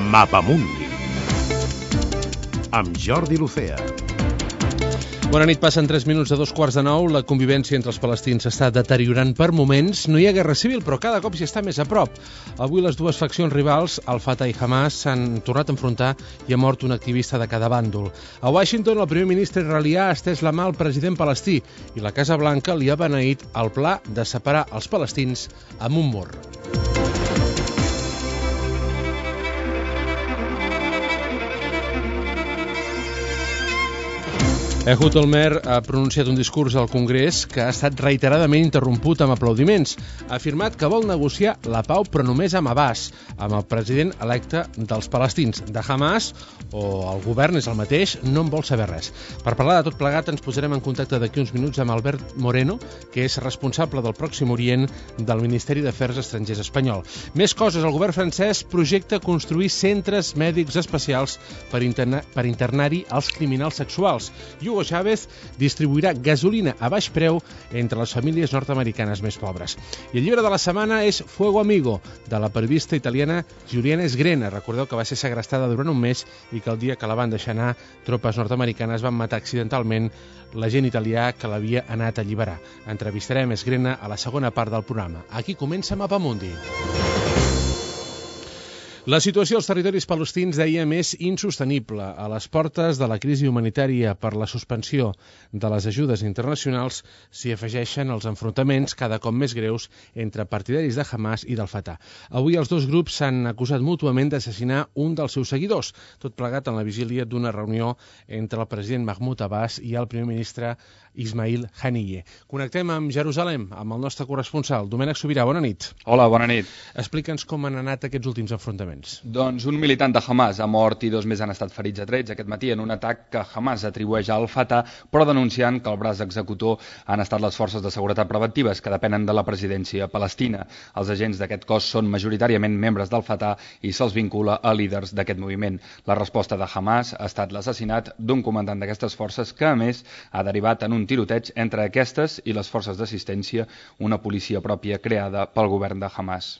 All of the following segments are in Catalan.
Mapamundi amb Jordi Lucea. Bona nit, passen 3 minuts de 8:45. La convivència entre els palestins s'està deteriorant per moments. No hi ha guerra civil, però cada cop s'hi està més a prop. Avui les dues faccions rivals, el Fatah i Hamas, s'han tornat a enfrontar i ha mort un activista de cada bàndol. A Washington, el primer ministre israelià ha estès la mà al president palestí i la Casa Blanca li ha beneït el pla de separar els palestins amb un mur. Ehud Olmert ha pronunciat un discurs al Congrés que ha estat reiteradament interromput amb aplaudiments. Ha afirmat que vol negociar la pau, però només amb Abbas, amb el president electe dels palestins. De Hamas, o el govern és el mateix, no en vol saber res. Per parlar de tot plegat ens posarem en contacte d'aquí uns minuts amb Albert Moreno, que és responsable del Pròxim Orient del Ministeri d'Afers Estrangers espanyol. Més coses, el govern francès projecta construir centres mèdics especials per internar-hi els criminals sexuals. Hugo Chávez distribuirà gasolina a baix preu entre les famílies nord-americanes més pobres. I el llibre de la setmana és Fuego Amigo, de la periodista italiana Giuliana Sgrena. Recordeu que va ser segrestada durant un mes i que el dia que la van deixar anar, tropes nord-americanes van matar accidentalment l'agent italià que l'havia anat a alliberar. Entrevistarem Sgrena a la segona part del programa. Aquí comença Mapamundi. La situació als territoris palestins, dèiem, és insostenible. A les portes de la crisi humanitària per la suspensió de les ajudes internacionals s'hi afegeixen els enfrontaments cada cop més greus entre partidaris de Hamas i del Fatah. Avui els dos grups s'han acusat mútuament d'assassinar un dels seus seguidors, tot plegat en la vigília d'una reunió entre el president Mahmoud Abbas i el primer ministre Ismail Haniyeh. Connectem amb Jerusalem, amb el nostre corresponsal, Domènec Sobirà. Bona nit. Hola, bona nit. Explica'ns com han anat aquests últims enfrontaments. Doncs un militant de Hamas ha mort i 2 més han estat ferits a trets aquest matí en un atac que Hamas atribueix al Fatah, però denunciant que el braç executor han estat les forces de seguretat preventives que depenen de la presidència palestina. Els agents d'aquest cos són majoritàriament membres del Fatah i se'ls vincula a líders d'aquest moviment. La resposta de Hamas ha estat l'assassinat d'un comandant d'aquestes forces que, a més, ha derivat en un tiroteig entre aquestes i les forces d'assistència, una policia pròpia creada pel govern de Hamas.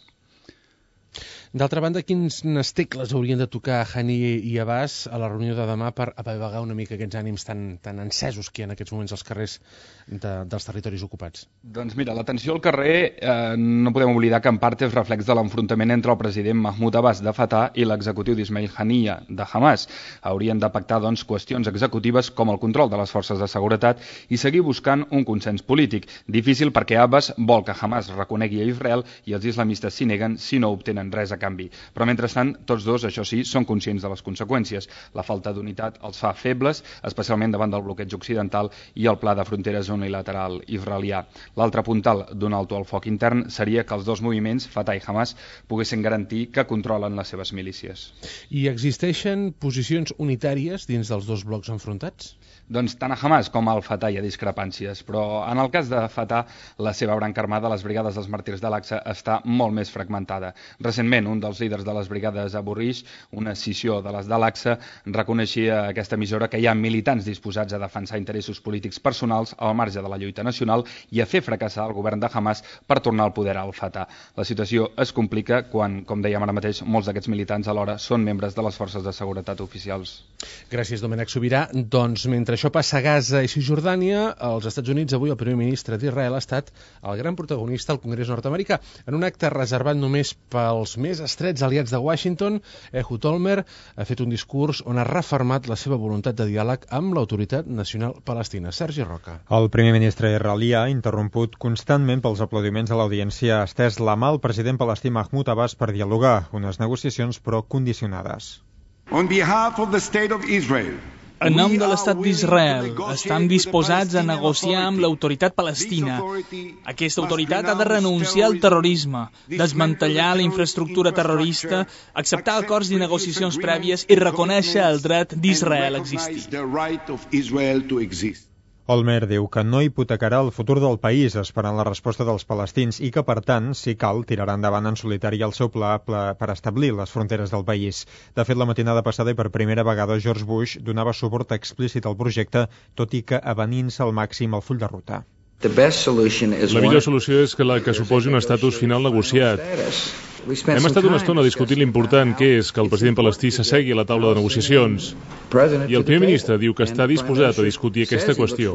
D'altra banda, quines tecles haurien de tocar Haniyeh i Abbas a la reunió de demà per apagar una mica aquests ànims tan encesos que hi ha en aquests moments als carrers dels territoris ocupats? Doncs mira, la tensió al carrer no podem oblidar que en part és reflex de l'enfrontament entre el president Mahmoud Abbas de Fatah i l'executiu d'Ismail Haniyeh de Hamas. Haurien de pactar doncs, qüestions executives com el control de les forces de seguretat i seguir buscant un consens polític. Difícil perquè Abbas vol que Hamas reconegui a Israel i els islamistes s'hi neguen si no obtenen res a canvi. Però mentrestant, tots dos, això sí, són conscients de les conseqüències. La falta d'unitat els fa febles, especialment davant del bloqueig occidental i el pla de fronteres unilateral israelià. L'altre puntal d'un alto al foc intern seria que els dos moviments, Fatah i Hamas, poguessin garantir que controlen les seves milícies. I existeixen posicions unitàries dins dels dos blocs enfrontats? Doncs tant a Hamas com al Fatah hi ha discrepàncies, però en el cas de Fatah, la seva branca armada, les brigades dels màrtirs de l'Aqsa, està molt més fragmentada. Recentment, un dels líders de les brigades Abu Rish, una escissió de les de l'Aqsa, reconeixia a aquesta emissora que hi ha militants disposats a defensar interessos polítics personals al marge de la lluita nacional i a fer fracassar el govern de Hamas per tornar al poder al Fatah. La situació es complica quan, com dèiem ara mateix, molts d'aquests militants alhora són membres de les forces de seguretat oficials. Gràcies, Domènec Sobirà. Doncs mentre això passa a Gaza i Cisjordània, als Estats Units avui el primer ministre d'Israel ha estat el gran protagonista al Congrés nord-americà. En un acte reservat només pels més estrets aliats de Washington, Ehud Olmert ha fet un discurs on ha refermat la seva voluntat de diàleg amb l'Autoritat Nacional Palestina. Sergi Roca. El primer ministre israelià, interromput constantment pels aplaudiments a l'audiència, ha estès la mà al president palestí Mahmoud Abbas per dialogar, unes negociacions però condicionades. On behalf of the State of Israel, en nom de l'estat d'Israel, estem disposats a negociar amb l'autoritat palestina. Aquesta autoritat ha de renunciar al terrorisme, desmantellar la infraestructura terrorista, acceptar acords i negociacions prèvies i reconèixer el dret d'Israel a existir. Olmert diu que no hipotecarà el futur del país esperant la resposta dels palestins i que, per tant, si cal, tirarà endavant en solitari el seu pla per establir les fronteres del país. De fet, la matinada passada i per primera vegada George Bush donava suport explícit al projecte, tot i que avenint-se al màxim el full de ruta. La millor solució és la que suposi un estatus final negociat. Hem estat una estona discutint l'important que és que el president palestí s'assegui a la taula de negociacions. I el primer ministre diu que està disposat a discutir aquesta qüestió.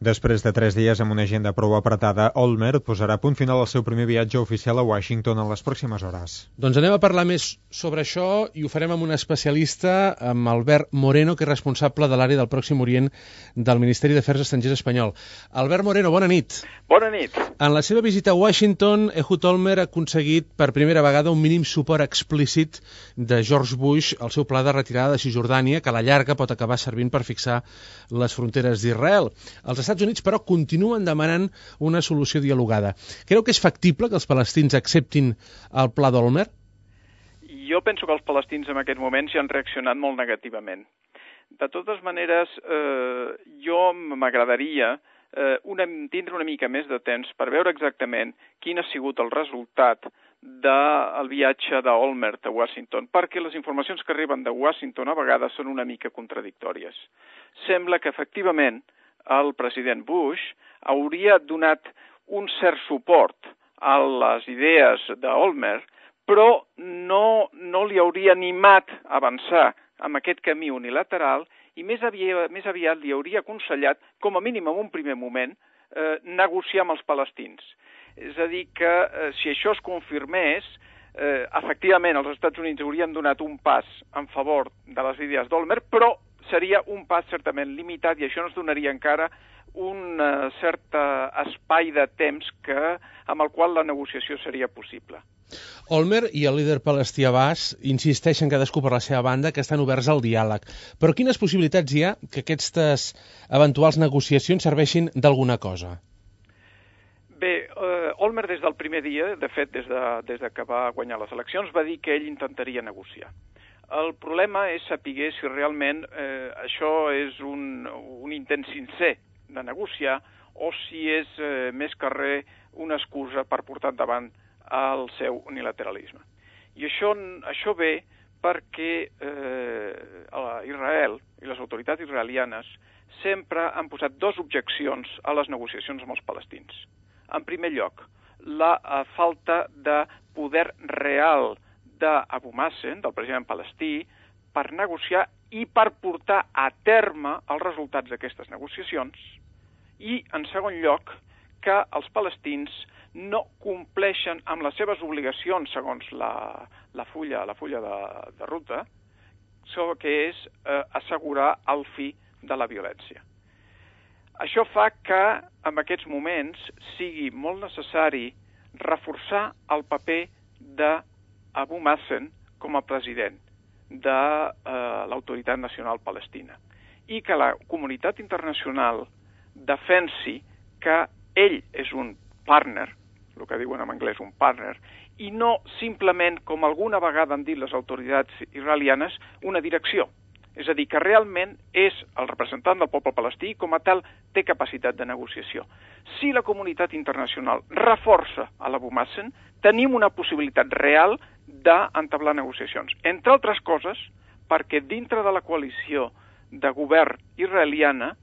Després de 3 dies amb una agenda prou apretada, Olmert posarà punt final al seu primer viatge oficial a Washington en les pròximes hores. Doncs anem a parlar més sobre això i ho farem amb un especialista, amb Albert Moreno, que és responsable de l'àrea del Pròxim Orient del Ministeri d'Afers Estrangers espanyol. Albert Moreno, bona nit. Bona nit. En la seva visita a Washington, Ehud Olmert ha aconseguit per primera vegada un mínim suport explícit de George Bush al seu pla de retirada de Cisjordània, que a la llarga pot acabar servint per fixar les fronteres d'Israel. Els Estats Units, però, continuen demanant una solució dialogada. Creu que és factible que els palestins acceptin el pla d'Olmert? Jo penso que els palestins en aquests moments ja han reaccionat molt negativament. De totes maneres, jo m'agradaria tindre una mica més de temps per veure exactament quin ha sigut el resultat del viatge d'Olmert a Washington, perquè les informacions que arriben de Washington a vegades són una mica contradictòries. Sembla que, efectivament, el president Bush hauria donat un cert suport a les idees d'Olmert, però no li hauria animat a avançar amb aquest camí unilateral i més aviat li hauria aconsellat, com a mínim en un primer moment, negociar amb els palestins. És a dir, que si això es confirmés, efectivament els Estats Units haurien donat un pas en favor de les idees d'Olmert, però seria un pas certament limitat i això ens donaria encara un cert espai de temps amb el qual la negociació seria possible. Olmert i el líder palestí Abbas insisteixen cadascú per la seva banda que estan oberts al diàleg. Però quines possibilitats hi ha que aquestes eventuals negociacions serveixin d'alguna cosa? Bé, Olmert des del primer dia, de fet des de que va guanyar les eleccions, va dir que ell intentaria negociar. El problema és saber si realment això és un intent sincer de negociar o si és més que res una excusa per portar endavant el seu unilateralisme. I això ve perquè Israel i les autoritats israelianes sempre han posat 2 objeccions a les negociacions amb els palestins. En primer lloc, la falta de poder real d'Abu Mazen, del president palestí, per negociar i per portar a terme els resultats d'aquestes negociacions. I, en segon lloc, que els palestins no compleixen amb les seves obligacions segons la fulla de ruta, que és assegurar el fi de la violència. Això fa que, en aquests moments, sigui molt necessari reforçar el paper d'Abu Mazen com a president de l'Autoritat Nacional Palestina i que la comunitat internacional defensi que ell és un partner, el que diuen en anglès un partner, i no simplement, com alguna vegada han dit les autoritats israelianes, una direcció. És a dir, que realment és el representant del poble palestí i com a tal té capacitat de negociació. Si la comunitat internacional reforça a l'Abu Mazen, tenim una possibilitat real d'entablar negociacions. Entre altres coses, perquè dintre de la coalició de govern israeliana,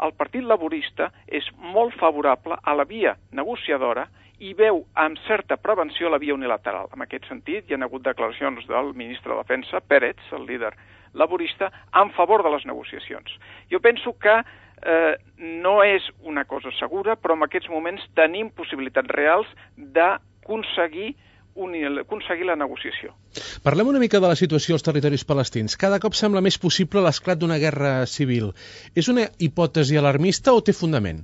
el Partit Laborista és molt favorable a la via negociadora i veu amb certa prevenció la via unilateral. En aquest sentit, hi ha hagut declaracions del ministre de Defensa, Peretz, el líder laborista, en favor de les negociacions. Jo penso que no és una cosa segura, però en aquests moments tenim possibilitats reals d'aconseguir la negociació. Parlem una mica de la situació als territoris palestins. Cada cop sembla més possible l'esclat d'una guerra civil. És una hipòtesi alarmista o té fundament?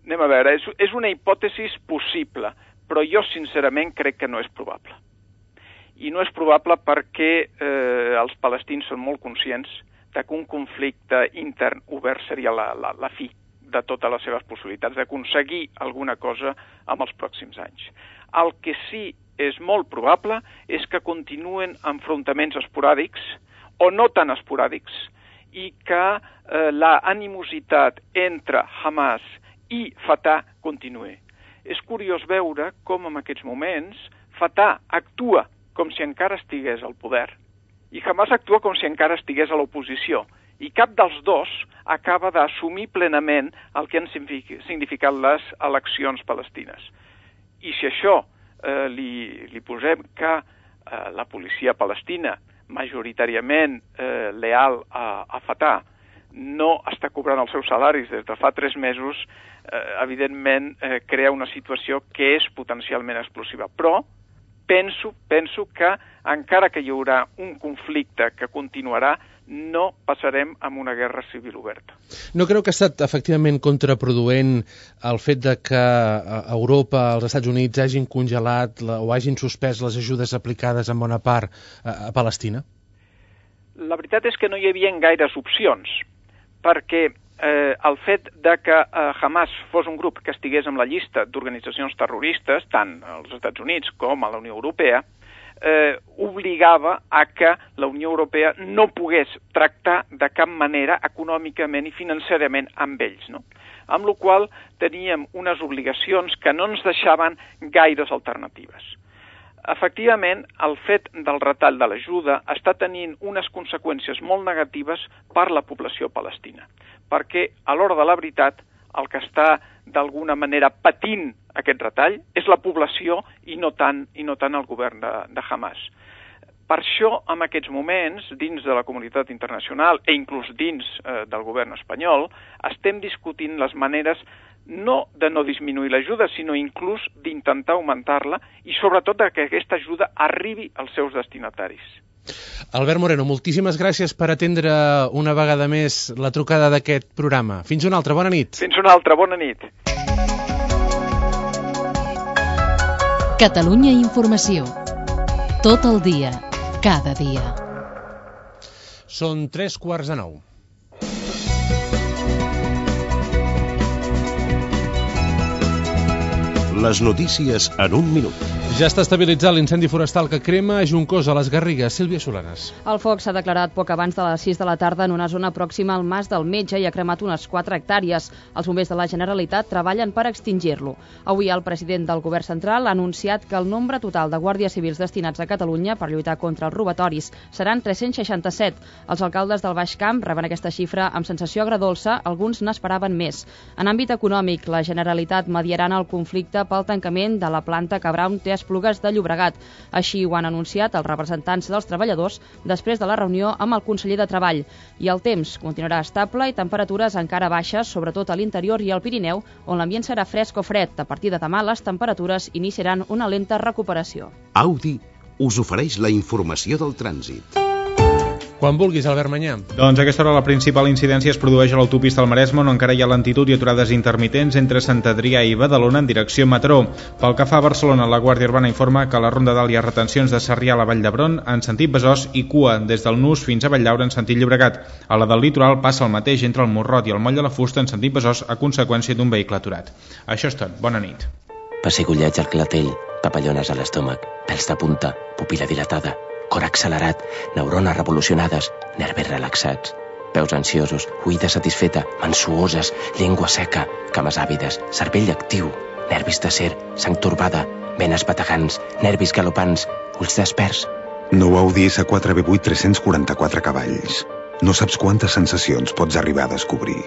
Anem a veure, és una hipòtesi possible, però jo sincerament crec que no és probable. I no és probable perquè els palestins són molt conscients que un conflicte intern obert seria la fi de totes les seves possibilitats d'aconseguir alguna cosa en els pròxims anys. El que sí és molt probable és que continuen enfrontaments esporàdics o no tan esporàdics i que la animositat entre Hamas i Fatah continuï. És curiós veure com en aquests moments Fatah actua com si encara estigués al poder i Hamas actua com si encara estigués a l'oposició i cap dels dos acaba d'assumir plenament el que han significat les eleccions palestines. I si això li posem que la policia palestina, majoritàriament leal a Fatah, no està cobrant els seus salaris des de fa 3 mesos, evidentment crea una situació que és potencialment explosiva. Però penso que encara que hi haurà un conflicte que continuarà, no passarem amb una guerra civil oberta. No creu que ha estat efectivament contraproduent el fet de que Europa, els Estats Units, hagin congelat o hagin suspès les ajudes aplicades en bona part a Palestina? La veritat és que no hi havia gaires opcions, perquè el fet de que Hamas fos un grup que estigués en la llista d'organitzacions terroristes, tant als Estats Units com a la Unió Europea, obligava a que la Unió Europea no pogués tractar de cap manera econòmicament i financerament amb ells, no? Amb la qual cosa teníem unes obligacions que no ens deixaven gaires alternatives. Efectivament, el fet del retall de l'ajuda està tenint unes conseqüències molt negatives per la població palestina, perquè a l'hora de la veritat el que està d'alguna manera patint aquest retall és la població i no tant el govern de Hamas. Per això, en aquests moments, dins de la comunitat internacional i inclús dins del govern espanyol, estem discutint les maneres no de no disminuir l'ajuda, sinó inclús d'intentar augmentar-la i sobretot que aquesta ajuda arribi als seus destinataris. Albert Moreno, moltíssimes gràcies per atendre una vegada més la trucada d'aquest programa. Fins una altra, bona nit. Fins una altra, bona nit. Catalunya Informació. Tot el dia, cada dia. Són 3:45. Les notícies en un minut. Ja està estabilitzat l'incendi forestal que crema a Juncosa, a les Garrigues. Sílvia Solanes. El foc s'ha declarat poc abans de les 6 de la tarda en una zona pròxima al Mas del Metge i ha cremat unes 4 hectàrees. Els bombers de la Generalitat treballen per extingir-lo. Avui el president del Govern Central ha anunciat que el nombre total de guàrdies civils destinats a Catalunya per lluitar contra els robatoris seran 367. Els alcaldes del Baix Camp reben aquesta xifra amb sensació agredolça, alguns n'esperaven més. En àmbit econòmic, la Generalitat mediarà en el conflicte pel tancament de la planta Cabraun té Esplugues de Llobregat. Així ho han anunciat els representants dels treballadors després de la reunió amb el conseller de Treball. I el temps continuarà estable i temperatures encara baixes, sobretot a l'interior i al Pirineu, on l'ambient serà fresc o fred. A partir de demà les temperatures iniciaran una lenta recuperació. Audi us ofereix la informació del trànsit. Quan vulguis, Albert Manyà. Doncs a aquesta hora la principal incidència es produeix a l'autopista al Maresme, on encara hi ha lentitud i aturades intermitents entre Sant Adrià i Badalona en direcció Mataró. Pel que fa a Barcelona, la Guàrdia Urbana informa que a la Ronda d'Alt hi ha retencions de Sarrià a la Vall d'Hebron en sentit Besòs i cua des del Nus fins a Valldaura en sentit Llobregat. A la del litoral passa el mateix entre el Morrot i el Moll de la Fusta en sentit Besòs a conseqüència d'un vehicle aturat. Això és tot. Bona nit. Pessigolleig al clatell, papallones a l'estómac, pèls de punta, pupil·la dilatada, cor accelerat, neurones revolucionades, nervis relaxats, peus ansiosos, oïda satisfeta, mans suoses, llengua seca, cames àvides, cervell actiu, nervis d'acer, sang torbada, venes bategants, nervis galopants, ulls desperts. Nou Audi S4 V8 344 cavalls. No saps quantes sensacions pots arribar a descobrir.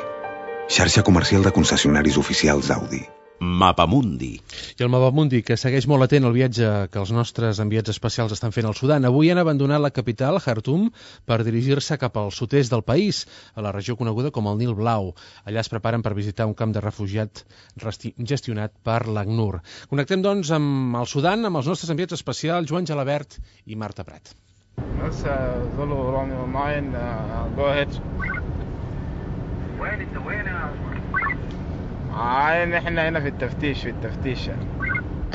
Xarxa comercial de concessionaris oficials Audi. Mapamundi. I el Mapamundi, que segueix molt atent al viatge que els nostres enviats especials estan fent al Sudan. Avui han abandonat la capital, Khartoum, per dirigir-se cap al sud-est del país, a la regió coneguda com el Nil Blau. Allà es preparen per visitar un camp de refugiats gestionat per l'ACNUR. Connectem, doncs, amb el Sudan, amb els nostres enviats especials, Joan Gelabert i Marta Prat.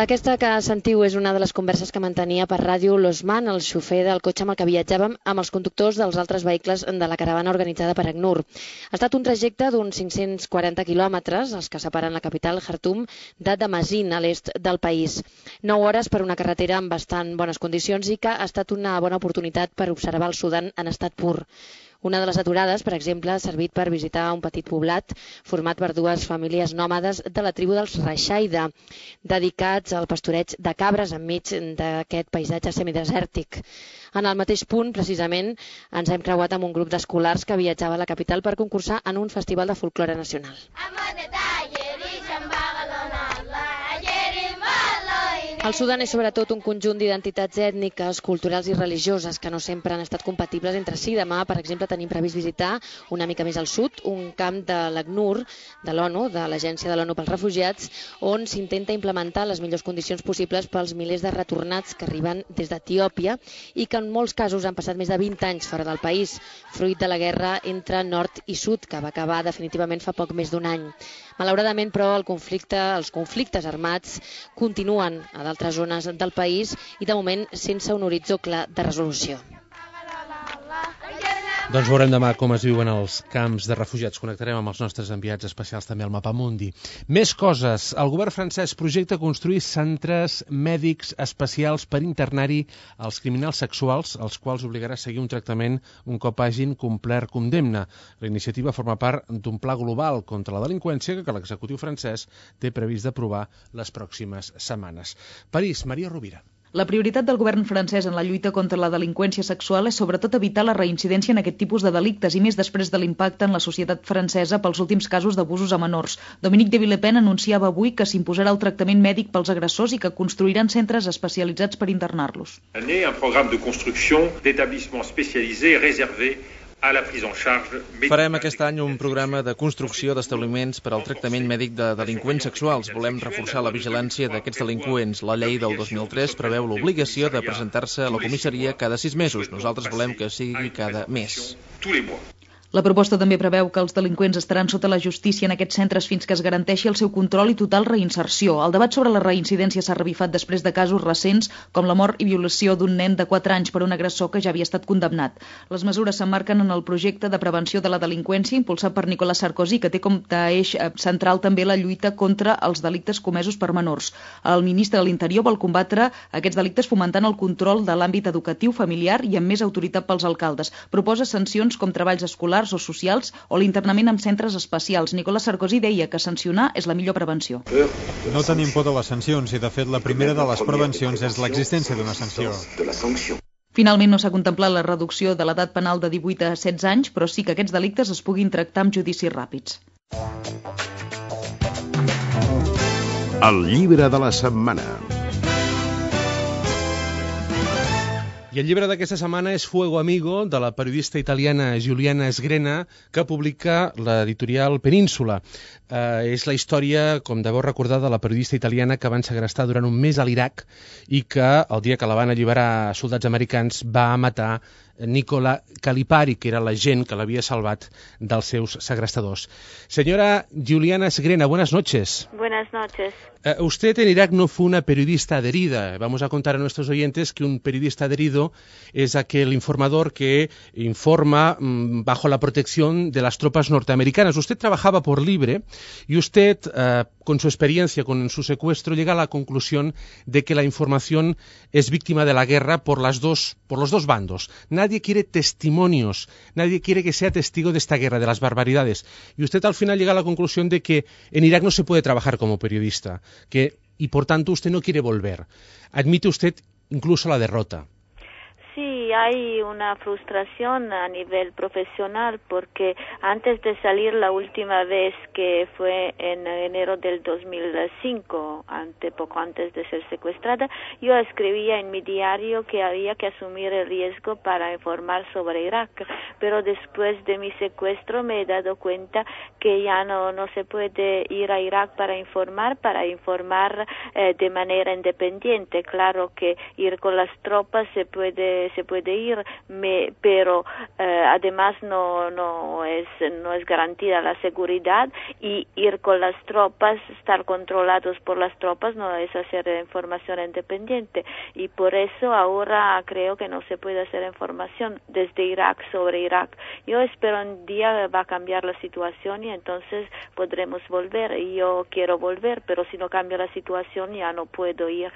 Aquesta que sentiu és una de les converses que mantenia per ràdio l'Osman, el xofer del cotxe amb el que viatjàvem, amb els conductors dels altres vehicles de la caravana organitzada per ACNUR. Ha estat un trajecte d'uns 540 quilòmetres, els que separen la capital, Khartoum, de Damazin, a l'est del país. 9 hores per una carretera en bastant bones condicions i que ha estat una bona oportunitat per observar el Sudan en estat pur. Una de les aturades, per exemple, ha servit per visitar un petit poblat format per dues famílies nòmades de la tribu dels Raixaida, dedicats al pastoreig de cabres enmig d'aquest paisatge semidesèrtic. En el mateix punt, precisament, ens hem creuat amb un grup d'escolars que viatjava a la capital per concursar en un festival de folklore nacional. El Sudan és sobretot un conjunt d'identitats ètniques, culturals i religioses que no sempre han estat compatibles entre si. Demà, per exemple, tenim previst visitar una mica més al sud un camp de l'ACNUR, de l'ONU, de l'Agència de l'ONU pels Refugiats, on s'intenta implementar les millors condicions possibles pels milers de retornats que arriben des d'Etiòpia i que en molts casos han passat més de 20 anys fora del país, fruit de la guerra entre nord i sud, que va acabar definitivament fa poc més d'un any. Malauradament, però, els conflictes armats continuen a d'altres zones del país i, de moment, sense un horitzó clar de resolució. Doncs veurem demà com es viuen els camps de refugiats. Connectarem amb els nostres enviats especials també al Mapamundi. Més coses. El govern francès projecta construir centres mèdics especials per internar-hi els criminals sexuals, als quals obligarà a seguir un tractament un cop hagin complert condemna. La iniciativa forma part d'un pla global contra la delinqüència que l'executiu francès té previst d'aprovar les pròximes setmanes. París, Maria Rovira. La prioritat del govern francès en la lluita contra la delinqüència sexual és sobretot evitar la reincidència en aquest tipus de delictes i més després de l'impacte en la societat francesa pels últims casos d'abusos a menors. Dominique de Villepin anunciava avui que s'imposarà el tractament mèdic pels agressors i que construiran centres especialitzats per internar-los. Un programa de construcció d'établissements spécialisés réservés a la prise en charge. Farem aquest any un programa de construcció d'establiments per al tractament mèdic de delinqüents sexuals. Volem reforçar la vigilància d'aquests delinqüents. La llei del 2003 preveu l'obligació de presentar-se a la comissaria cada 6 mesos. Nosaltres volem que sigui cada mes. La proposta també preveu que els delinqüents estaran sota la justícia en aquests centres fins que es garanteixi el seu control i total reinserció. El debat sobre la reincidència s'ha revifat després de casos recents, com la mort i violació d'un nen de 4 anys per un agressor que ja havia estat condemnat. Les mesures s'emmarquen en el projecte de prevenció de la delinqüència impulsat per Nicolas Sarkozy, que té com a eix central també la lluita contra els delictes comesos per menors. El ministre de l'Interior vol combatre aquests delictes fomentant el control de l'àmbit educatiu, familiar i amb més autoritat pels alcaldes. Proposa sancions com treballs escolars o socials o l'internament en centres especials. Nicolas Sarkozy deia que sancionar és la millor prevenció. No tenim por de les sancions i, de fet, la primera de les prevencions és l'existència d'una sanció. Finalment no s'ha contemplat la reducció de l'edat penal de 18 a 16 anys, però sí que aquests delictes es puguin tractar amb judicis ràpids. El llibre de la setmana. I el llibre d'aquesta setmana és Fuego Amigo, de la periodista italiana Giuliana Sgrena, que publica l'editorial Península. És la història, com deveu recordar, de la periodista italiana que van segrestar durant un mes a l'Iraq i que, el dia que la van alliberar soldats americans, va matar Nicola Calipari, que era l'agent que l'havia salvat dels seus segrestadors. Señora Giuliana Sgrena, buenas noches. Buenas noches. Usted en Irak no fue una periodista adherida. Vamos a contar a nuestros oyentes que un periodista adherido es aquel informador que informa bajo la protección de las tropas norteamericanas. Usted trabajaba por libre y usted, con su experiencia, con su secuestro, llega a la conclusión de que la información es víctima de la guerra por los dos bandos. Nadie quiere testimonios, nadie quiere que sea testigo de esta guerra, de las barbaridades. Y usted al final llega a la conclusión de que en Irak no se puede trabajar como periodista, y por tanto usted no quiere volver. Admite usted incluso la derrota. Sí, hay una frustración a nivel profesional porque antes de salir la última vez, que fue en enero del 2005, poco antes de ser secuestrada, yo escribía en mi diario que había que asumir el riesgo para informar sobre Irak, pero después de mi secuestro me he dado cuenta que ya no se puede ir a Irak para informar de manera independiente. Claro que ir con las tropas se puede ir, pero además no es garantía la seguridad, y ir con las tropas, estar controlados por las tropas, no es hacer información independiente, y por eso ahora creo que no se puede hacer información desde Irak sobre Irak. Yo espero un día va a cambiar la situación y entonces podremos volver, y yo quiero volver, pero si no cambia la situación ya no puedo ir.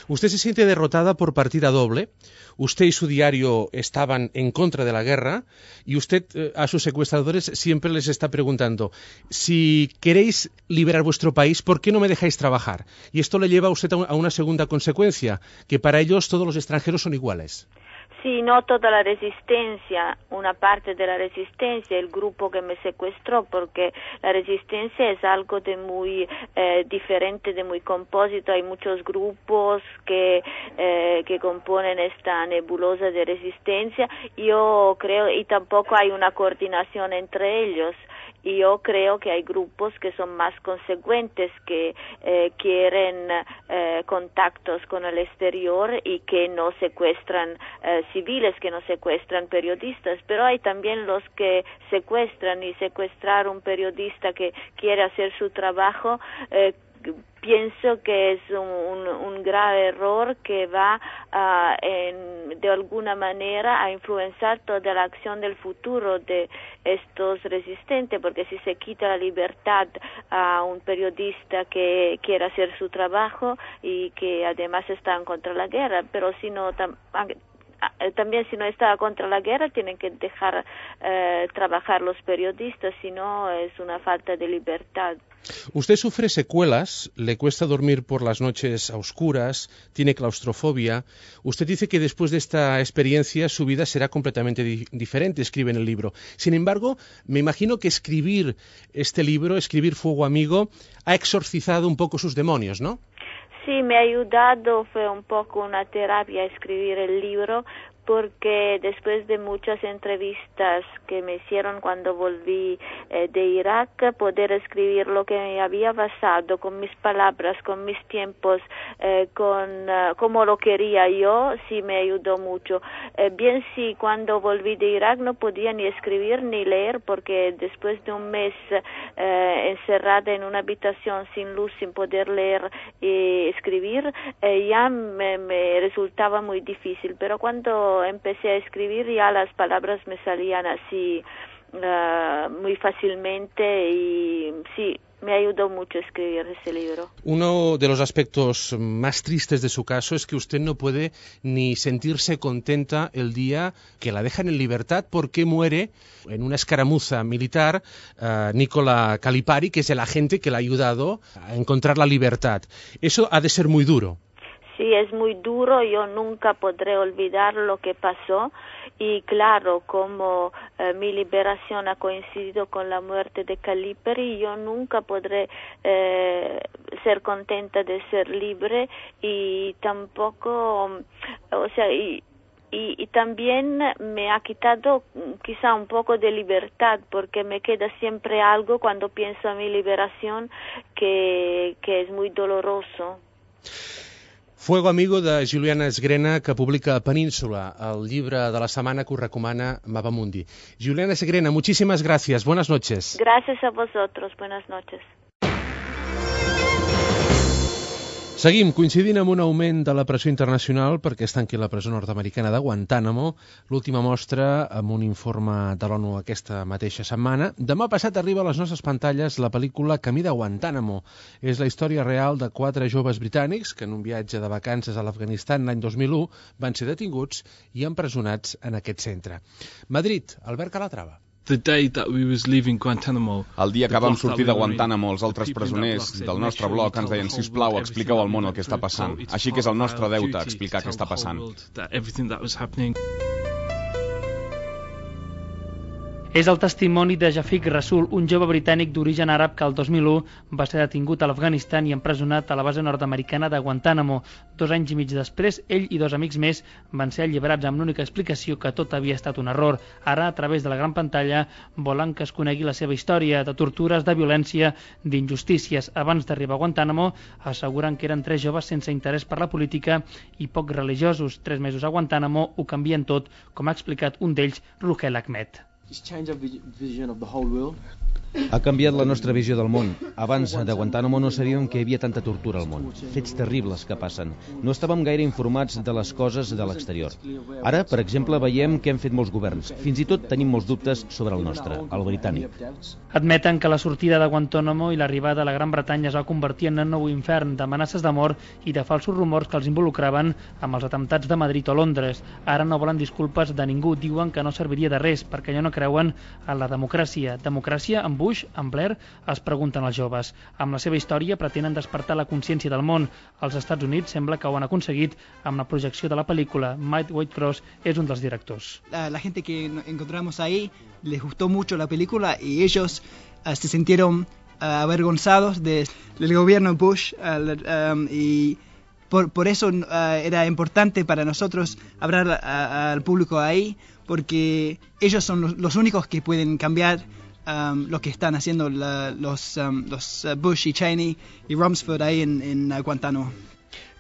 Usted se siente derrotada por partida doble. Usted y su diario estaban en contra de la guerra y usted a sus secuestradores siempre les está preguntando: si queréis liberar vuestro país, ¿por qué no me dejáis trabajar? Y esto le lleva a usted a una segunda consecuencia, que para ellos todos los extranjeros son iguales. Sí, no toda la resistencia, una parte de la resistencia, el grupo que me secuestró, porque la resistencia es algo de muy diferente, de muy compósito. Hay muchos grupos que componen esta nebulosa de resistencia. Yo creo, y tampoco hay una coordinación entre ellos. Y yo creo que hay grupos que son más consecuentes, que quieren contactos con el exterior y que no secuestran civiles, que no secuestran periodistas, pero hay también los que secuestran, y secuestrar a un periodista que quiere hacer su trabajo pienso que es un grave error que va de alguna manera a influenciar toda la acción del futuro de estos resistentes, porque si se quita la libertad a un periodista que quiere hacer su trabajo y que además está en contra de la guerra, pero si no también si no está contra la guerra tienen que dejar trabajar los periodistas, si no es una falta de libertad. Usted sufre secuelas, le cuesta dormir por las noches a oscuras, tiene claustrofobia. Usted dice que después de esta experiencia su vida será completamente diferente, escribe en el libro. Sin embargo, me imagino que escribir este libro, escribir Fuego Amigo, ha exorcizado un poco sus demonios, ¿no? Sí, me ha ayudado, fue un poco una terapia escribir el libro, porque después de muchas entrevistas que me hicieron cuando volví de Irak, poder escribir lo que me había pasado con mis palabras, con mis tiempos, como lo quería yo, sí me ayudó mucho. Bien, sí, cuando volví de Irak no podía ni escribir ni leer, porque después de un mes encerrada en una habitación sin luz, sin poder leer y escribir, ya me resultaba muy difícil, pero cuando empecé a escribir ya las palabras me salían así muy fácilmente y sí, me ayudó mucho escribir ese libro. Uno de los aspectos más tristes de su caso es que usted no puede ni sentirse contenta el día que la dejan en libertad, porque muere en una escaramuza militar Nicola Calipari, que es el agente que le ha ayudado a encontrar la libertad. Eso ha de ser muy duro. Sí, es muy duro, yo nunca podré olvidar lo que pasó y claro, como mi liberación ha coincidido con la muerte de Calipari, yo nunca podré ser contenta de ser libre y tampoco, o sea, y también me ha quitado quizá un poco de libertad, porque me queda siempre algo cuando pienso a mi liberación que es muy doloroso. Fuego Amigo de Juliana Esgrena, que publica Península, el llibre de la setmana que us recomana Mapamundi. Juliana Esgrena, muchísimas gracias. Buenas noches. Gracias a vosotros. Buenas noches. Seguim coincidint amb un augment de la pressió internacional perquè es tanqui la presó nord-americana de Guantánamo, l'última mostra amb un informe de l'ONU aquesta mateixa setmana. Demà passat arriba a les nostres pantalles la pel·lícula Camí de Guantánamo. És la història real de 4 joves britànics que en un viatge de vacances a l'Afganistan l'any 2001 van ser detinguts i empresonats en aquest centre. Madrid, Albert Calatrava. El dia que vam sortir de Guantánamo, els altres presoners del nostre bloc ens deien: sisplau, expliqueu al món el que està passant. Així que és el nostre deute explicar què està passant. És el testimoni de Jafiq Rasul, un jove britànic d'origen àrab que el 2001 va ser detingut a l'Afganistan i empresonat a la base nord-americana de Guantánamo. 2 anys i mig després, ell i 2 amics més van ser alliberats amb l'única explicació que tot havia estat un error. Ara, a través de la gran pantalla, volen que es conegui la seva història de tortures, de violència, d'injustícies. Abans d'arribar a Guantánamo, asseguren que eren 3 joves sense interès per la política i poc religiosos. 3 mesos a Guantánamo ho canvien tot, com ha explicat un d'ells, Ruhel Ahmed. Just change our vision of the whole world. Ha canviat la nostra visió del món. Abans de Guantánamo no sabíem que hi havia tanta tortura al món. Fets terribles que passen. No estàvem gaire informats de les coses de l'exterior. Ara, per exemple, veiem què han fet molts governs. Fins i tot tenim molts dubtes sobre el nostre, el britànic. Admeten que la sortida de Guantánamo i l'arribada a la Gran Bretanya es va convertir en un nou infern d'amenaces de mort i de falsos rumors que els involucraven amb els atemptats de Madrid o Londres. Ara no volen disculpes de ningú. Diuen que no serviria de res perquè ja no creuen en la democràcia. Democràcia amb Bush, amb Blair, es pregunten els joves. Amb la seva història pretenen despertar la consciència del món. Els Estats Units sembla que ho han aconseguit amb la projecció de la pel·lícula. Mike Whitecross és un dels directors. La gente que encontramos ahí les gustó mucho la película y ellos se sintieron avergonzados del gobierno Bush y por eso era importante para nosotros hablar al público ahí, porque ellos son los únicos que pueden cambiar lo que están haciendo los Bush y Cheney y Rumsfeld ahí en Guantánamo.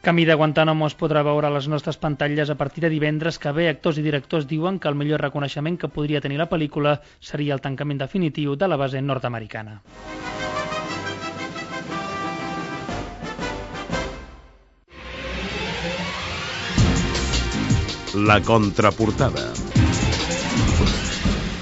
Camí de Guantánamo es podrà veure a les nostres pantalles a partir de divendres, que bé actors i directors diuen que el millor reconeixement que podria tenir la pel·lícula seria el tancament definitiu de la base nord-americana. La contraportada.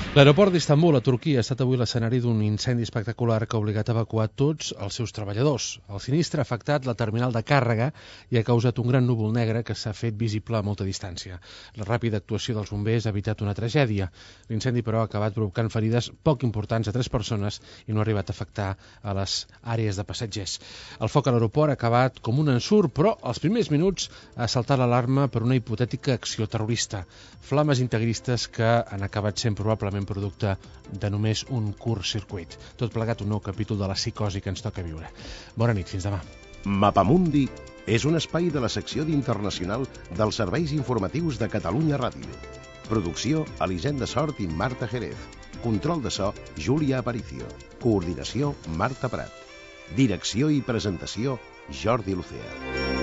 L'aeroport d'Istanbul, a Turquia, ha estat avui l'escenari d'un incendi espectacular que ha obligat a evacuar tots els seus treballadors. El sinistre ha afectat la terminal de càrrega i ha causat un gran núvol negre que s'ha fet visible a molta distància. La ràpida actuació dels bombers ha evitat una tragèdia. L'incendi, però, ha acabat provocant ferides poc importants a 3 persones i no ha arribat a afectar a les àrees de passatgers. El foc a l'aeroport ha acabat com un ensurt, però als primers minuts ha saltat l'alarma per una hipotètica acció terrorista. Flames integristes que han acabat sent probablement producte de només un curt circuit. Tot plegat un nou capítol de la psicosi que ens toca viure. Bona nit, fins demà. Mapamundi és un espai de la secció d'Internacional dels serveis informatius de Catalunya Ràdio. Producció, Elisenda Sort i Marta Jerez. Control de so, Júlia Aparicio. Coordinació, Marta Prat. Direcció i presentació, Jordi Lucea.